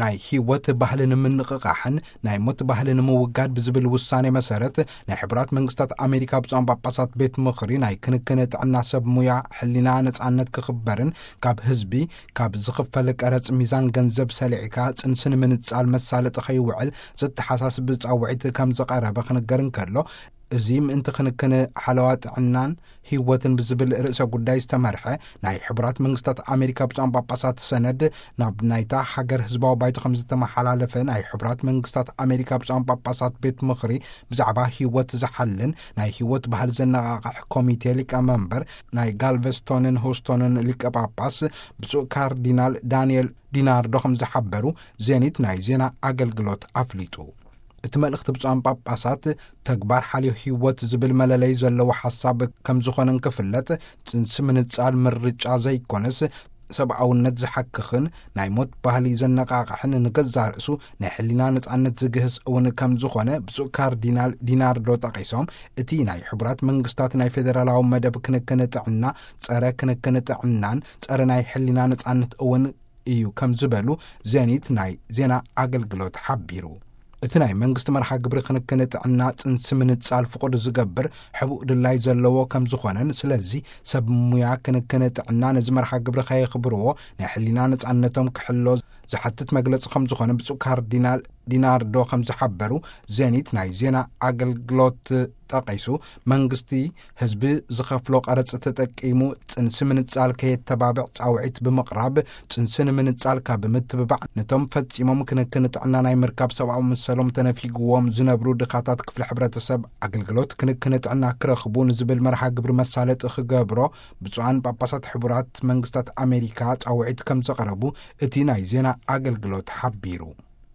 ናይ ህይወት ባህልን ምንቕቓሕን ናይ ሞት ባህልን ምውጋድ ብዝብል ውሳኔ መሰረት፣ ናይ ሕቡራት መንግስታት ኣሜሪካ ብፁዓን ጳጳሳት ቤት ምኽሪ ናይ ክንክን ጥዕና ሰብ ሙያ ሕሊና ነጻነት ክኽበርን ካብ ህዝቢ ካብ ዝኽፈል ቀረጽ ሚዛን ገንዘብ ሰሊዕካ ጽንሲ ንምንጻል መሳለጢ ከይውዕል ዘተሓሳስብ ጻውዒት ከም ዝቐረበ ክንገር እንከሎ፣ እዚ ምእንቲ ክንክን ሓለዋ ጥዕናን ህይወትን ብዝብል ርእሰ ጉዳይ ዝተመርሐ ናይ ሕቡራት መንግስታት ኣሜሪካ ብፁዓን ጳጳሳት ሰነድ ናብ ናይታ ሃገር ህዝባዊ ባይቶ ከም ዝተመሓላለፈ ናይ ሕቡራት መንግስታት ኣሜሪካ ብፁዓን ጳጳሳት ቤት ምኽሪ ብዛዕባ ህይወት ዝሓልን ናይ ህይወት ባህል ዘነቓቕሕ ኮሚቴ ሊቀመንበር ናይ ጋልቨስቶንን ሆስቶንን ሊቀ ጳጳስ ብፁዕ ካርዲናል ዳንኤል ዲናርዶ ከም ዝሓበሩ ዜኒት ናይ ዜና ኣገልግሎት ኣፍሊጡ። እቲ መልእኽቲ ብፁዓን ጳጳሳት ተግባር ሓልዮ ህይወት ዝብል መለለይ ዘለዎ ሓሳብ ከም ዝኾነ እንክፍለጥ፣ ጽንሲ ምንጻል ምርጫ ዘይኮነስ ሰብኣውነት ዝሓክኽን ናይ ሞት ባህሊ ዘነቓቕሕን ንገዛእ ርእሱ ናይ ሕሊና ነጻነት ዝግህስ እውን ከም ዝኾነ ብፁዕ ካርዲናል ዲናርዶ ጠቒሶም፣ እቲ ናይ ሕቡራት መንግስታት ናይ ፌደራላዊ መደብ ክንክን ጥዕና ጸረ ክንክን ጥዕናን ጸረ ናይ ሕሊና ነጻነት እውን እዩ ከም ዝበሉ ዜኒት ናይ ዜና ኣገልግሎት ሓቢሩ። እቲ ናይ መንግስቲ መርሃ ግብሪ ክንክን ጥዕና ጽንሲ ምንጻል ፍቑድ ዝገብር ሕቡእ ድላይ ዘለዎ ከም ዝኾነን፣ ስለዚ ሰብ ሙያ ክንክን ጥዕና ነዚ መርሃ ግብሪ ከየኽብርዎ ናይ ሕሊና ነጻነቶም ክሕሎ ዝሓትት መግለጺ ከም ዝኾነ ብፁዕ ካርዲናል ዲናርዶ ከም ዝሓበሩ ዜኒት ናይ ዜና ኣገልግሎት ጠቒሱ፣ መንግስቲ ህዝቢ ዝኸፍሎ ቀረጽ ተጠቂሙ ጽንሲ ምንጻል ከየተባብዕ ጻውዒት ብምቕራብ፣ ጽንሲ ንምንጻል ካብ ምትብባዕ ነቶም ፈጺሞም ክንክን ጥዕና ናይ ምርካብ ሰብኣዊ መሰሎም ተነፊግዎም ዝነብሩ ድኻታት ክፍሊ ሕብረተሰብ ኣገልግሎት ክንክን ጥዕና ክረኽቡ ንዝብል መርሃ ግብሪ መሳለጢ ክገብሮ ብፁዓን ጳጳሳት ሕቡራት መንግስታት ኣሜሪካ ጻውዒት ከም ዘቕረቡ እቲ ናይ ዜና ኣገልግሎት ሓቢሩ።